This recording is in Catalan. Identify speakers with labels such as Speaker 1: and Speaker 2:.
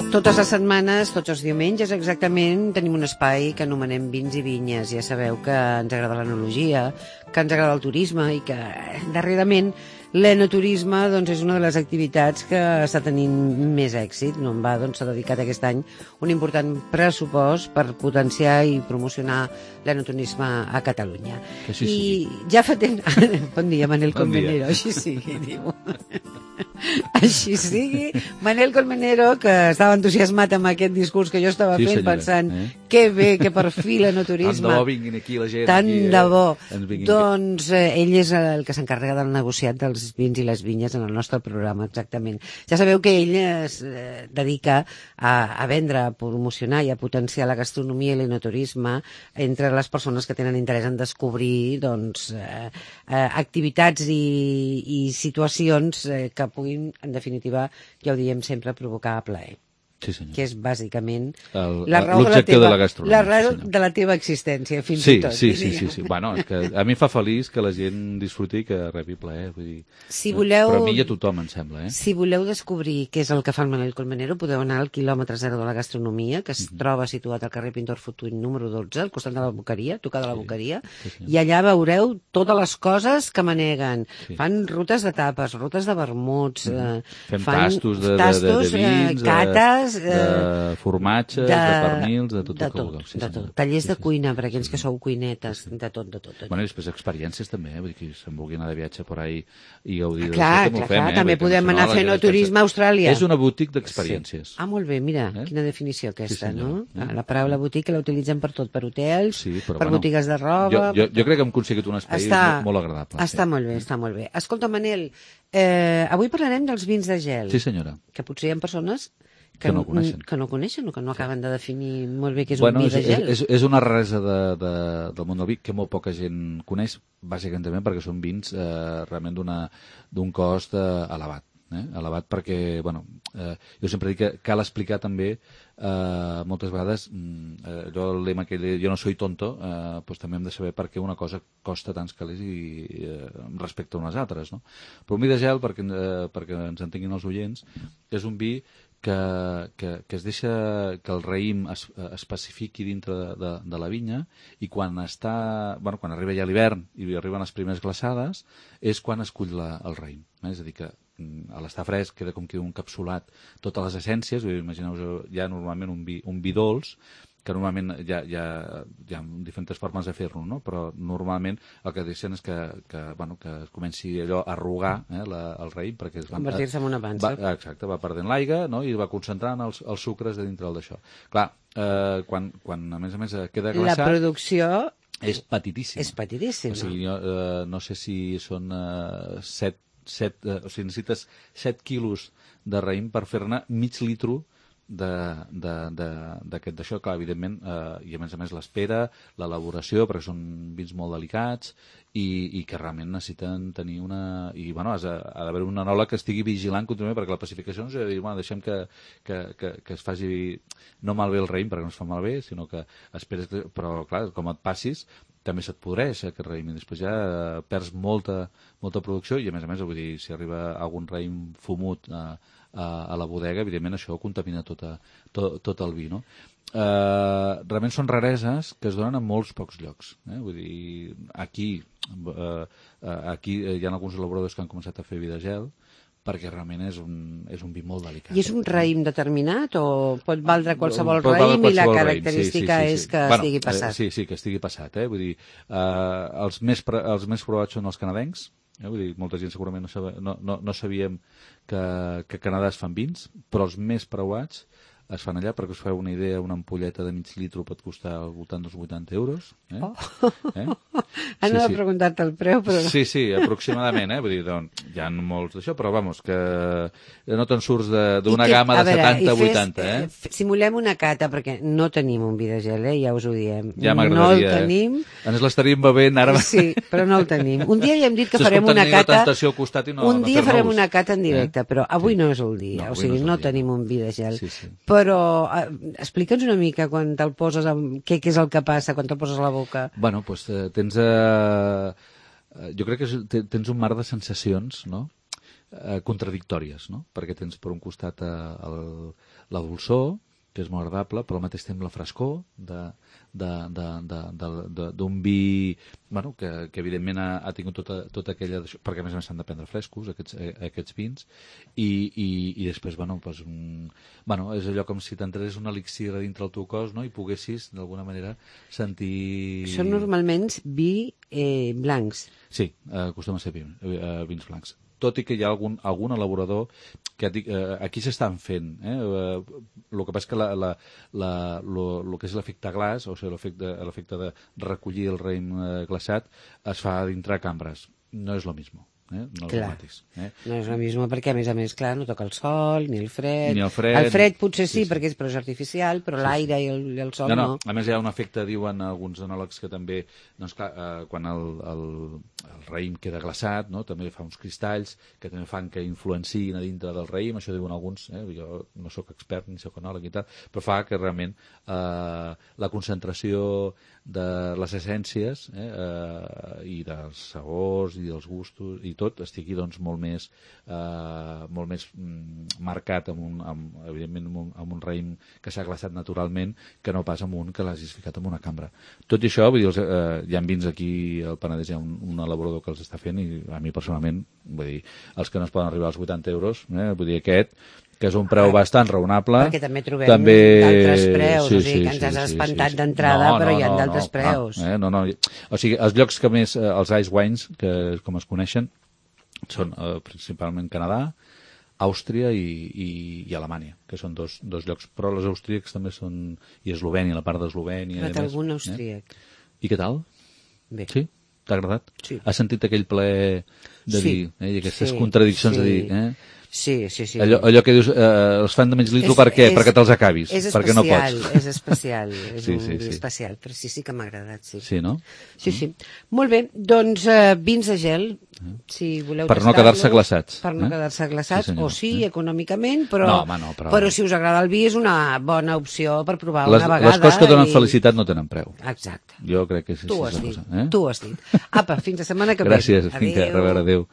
Speaker 1: Totes les setmanes, tots els diumenges exactament, tenim un espai que anomenem Vins i Vinyes. Ja sabeu que ens agrada l'enologia, que ens agrada el turisme i que darrerament l'enoturisme doncs, és una de les activitats que està tenint més èxit. No en va, doncs, s'ha dedicat aquest any un important pressupost per potenciar i promocionar l'enoturisme a Catalunya. I ja fa temps... Bon dia, Manel Colmenero, així sigui, diu. Així sigui. Manel Colmenero, que estava entusiasmat amb aquest discurs que jo estava fent, pensant que bé, que per fi l'enoturisme...
Speaker 2: Tant de bo vinguin aquí la gent.
Speaker 1: Tant de bo. Doncs ell és el que s'encarrega del negociat dels vins i les vinyes en el nostre programa, exactament. Ja sabeu que ell es dedica a vendre, a promocionar i a potenciar la gastronomia i l'enoturisme entre les persones que tenen interès en descobrir doncs, activitats i situacions que puguin, en definitiva, ja ho diem sempre, provocar plaer.
Speaker 2: Sí, senyor.
Speaker 1: Que és bàsicament
Speaker 2: l'objecte de la gastronomia.
Speaker 1: La raó de la teva existència, fins i tot.
Speaker 2: Sí. Bueno, és que a mi fa feliç que la gent disfruti i que rebi plaer. Vull dir, però a mi i a tothom, em sembla. Si
Speaker 1: voleu descobrir què és el que fa el Manel Colmenero, podeu anar al quilòmetre zero de la gastronomia, que es troba situat al carrer Pintor Fortuny número 12, al costat de la Boqueria, tocada la Boqueria, i allà veureu totes les coses que maneguen. Fan rutes de tapes, rutes de vermuts,
Speaker 2: fem tastos de vins,
Speaker 1: cates,
Speaker 2: de formatges, de pernils, de tot el que vulgueu.
Speaker 1: De tot. Tallers de cuina per aquells que sou cuinetes, de tot.
Speaker 2: Bueno, i després experiències també, vull dir que se'n vulgui anar de viatge per ahí i gaudir
Speaker 1: clar, també podem anar fent turisme a Austràlia.
Speaker 2: És una boutique d'experiències.
Speaker 1: Ah, molt bé, mira, quina definició aquesta, no? La paraula boutique la utilitzem per tot, per hotels, per botigues de roba...
Speaker 2: Jo crec que hem aconseguit un espai molt agradable.
Speaker 1: Està molt bé. Escolta, Manel, avui parlarem dels vins de gel.
Speaker 2: Sí, senyora.
Speaker 1: Que potser hi ha persones que no coneixen o que no acaben de definir molt bé què és un vi de gel.
Speaker 2: És una raresa del món del vi que molt poca gent coneix, bàsicament també perquè són vins realment d'un cost elevat. Elevat perquè, jo sempre dic que cal explicar també moltes vegades allò el lema que jo no soy tonto, doncs també hem de saber per què una cosa costa tants calés respecte a unes altres, no? Però un vi de gel, perquè ens entenguin els oients, és un vi que es deixa que el raïm es pacifiqui dintre de la vinya i quan arriba ja l'hivern i arriben les primeres glaçades és quan es cull el raïm. És a dir, que a l'estar fresc queda com que un capsulat totes les essències. Imagineu-vos ja normalment un vi dolç, que normalment hi ha diferents formes de fer-lo, no? Però normalment el que deixen és que es comenci allò a arrugar el raïm, perquè
Speaker 1: convertir-se en una pansa.
Speaker 2: Exacte, va perdent l'aigua, no? I va concentrant els sucres de dintre d'això. Clar, quan a més queda glaçat...
Speaker 1: La producció...
Speaker 2: És petitíssima.
Speaker 1: És petitíssima.
Speaker 2: O sigui, no sé si són 7, o sigui, necessites 7 quilos de raïm per fer-ne mig litro d'això, clar, evidentment, i a més l'espera, l'elaboració, perquè són vins molt delicats i que realment necessiten tenir una... I, ha d'haver un enòleg que estigui vigilant contínuament, perquè la pacificació no és a dir, deixem que es faci no malbé el raïm, perquè no es fa malbé, sinó que esperes... Però, clar, com et passis, també se't podreix aquest raïm, i després ja perds molta producció, i a més, vull dir, si arriba algun raïm fumut a la bodega, evidentment això contamina tot el vi, no? Realment són rareses que es donen en molts pocs llocs. Vull dir, aquí hi ha alguns elaboradors que han començat a fer vi de gel, perquè realment és un vi molt delicat.
Speaker 1: I és un raïm determinat o pot valdre qualsevol raïm i la característica és que estigui passat?
Speaker 2: Sí, que estigui passat. Vull dir, els més provats són els canadencs. Vull dir, molta gent segurament no sabíem que a Canadà es fan vins, però els més preuats es fan allà, perquè us feu una idea, una ampolleta de mig litro pot costar al voltant dels 80 euros.
Speaker 1: Anava a preguntar-te el preu, però...
Speaker 2: Sí, aproximadament, vull dir, hi ha molts d'això, però vamos, que no te'n surts d'una gamma de 70 a 80,
Speaker 1: Simulem una cata, perquè no tenim un vi de gel, ja us ho diem.
Speaker 2: Ja m'agradaria.
Speaker 1: No el tenim.
Speaker 2: Ens l'estaríem bevent ara.
Speaker 1: Sí, però no el tenim. Un dia ja hem dit que farem una cata... Un dia farem una cata en directe, però avui no és el dia, o sigui, no tenim un vi de gel. Però explica'ns una mica quan te'l poses, què és el que passa quan te'l poses a la boca.
Speaker 2: Bueno, doncs tens... Jo crec que tens un mar de sensacions, no? contradictòries, no? Perquè tens per un costat la dolçor, que és molt agradable, però al mateix temps la frescor d'un vi, bueno, que evidentment ha tingut tota aquella... Perquè a més s'han de prendre frescos, aquests vins, i després, bueno, doncs és allò com si t'entrés un elixir a dintre el teu cos, no?, i poguessis, d'alguna manera, sentir...
Speaker 1: Són normalment vi blancs.
Speaker 2: Sí, acostuma a ser vins blancs. Tot i que hi ha algun elaborador que aquí s'estan fent. El que passa és que el que és l'efecte glaç, o sigui, l'efecte de recollir el raïm glaçat, es fa dintre cambres. No és lo mismo. No és el mateix.
Speaker 1: No és el mismo perquè, a més, clar, no toca el sol, ni el fred.
Speaker 2: Ni el fred.
Speaker 1: El fred potser sí, perquè és artificial, però l'aire i el sol no.
Speaker 2: A més, hi ha un efecte, diuen alguns enòlegs, que també, doncs clar, quan el raïm queda glaçat, no?, també fa uns cristalls que també fan que influenciïn a dintre del raïm, això diuen alguns, jo no sóc expert ni sóc enòleg i tal, però fa que realment la concentració de les essències i dels sabors i dels gustos i tot estigui doncs molt més marcat evidentment amb un raïm que s'ha glaçat naturalment, que no pas amb un que l'hagis ficat en una cambra. Tot i això, vull dir, hi ha vins aquí al Penedès, hi ha un elaborador que els està fent, i a mi personalment, vull dir, els que no es poden arribar als 80 euros, vull dir, aquest, que és un preu bastant raonable.
Speaker 1: Perquè també trobem d'altres preus, o sigui, que ens has espantat d'entrada, però hi ha d'altres preus.
Speaker 2: O sigui, els llocs que més, els ice wines, que com es coneixen, són principalment Canadà, Àustria i Alemanya, que són dos llocs, però els austríacs també són, i Eslovènia, la part d'Eslovènia.
Speaker 1: He fet algun austríac.
Speaker 2: I què tal?
Speaker 1: Bé.
Speaker 2: Sí? T'ha agradat?
Speaker 1: Sí.
Speaker 2: Has sentit aquell ple de dir, i aquestes contradiccions de dir,
Speaker 1: Sí.
Speaker 2: Allò que dius, els fan de menys litro per què? Perquè te'ls acabis, perquè no pots.
Speaker 1: És especial, és un vi especial, però sí que m'ha agradat, sí.
Speaker 2: Sí, no?
Speaker 1: Sí. Molt bé, doncs vins de gel, si voleu
Speaker 2: per no quedar-se glaçats.
Speaker 1: Per no quedar-se glaçats, o sí, econòmicament, però si us agrada el vi és una bona opció per provar una vegada.
Speaker 2: Les coses que donen felicitat no tenen preu.
Speaker 1: Exacte.
Speaker 2: Jo crec que és
Speaker 1: tu ho has dit. Apa, fins la setmana que ve.
Speaker 2: Gràcies, fins a reveure, adéu.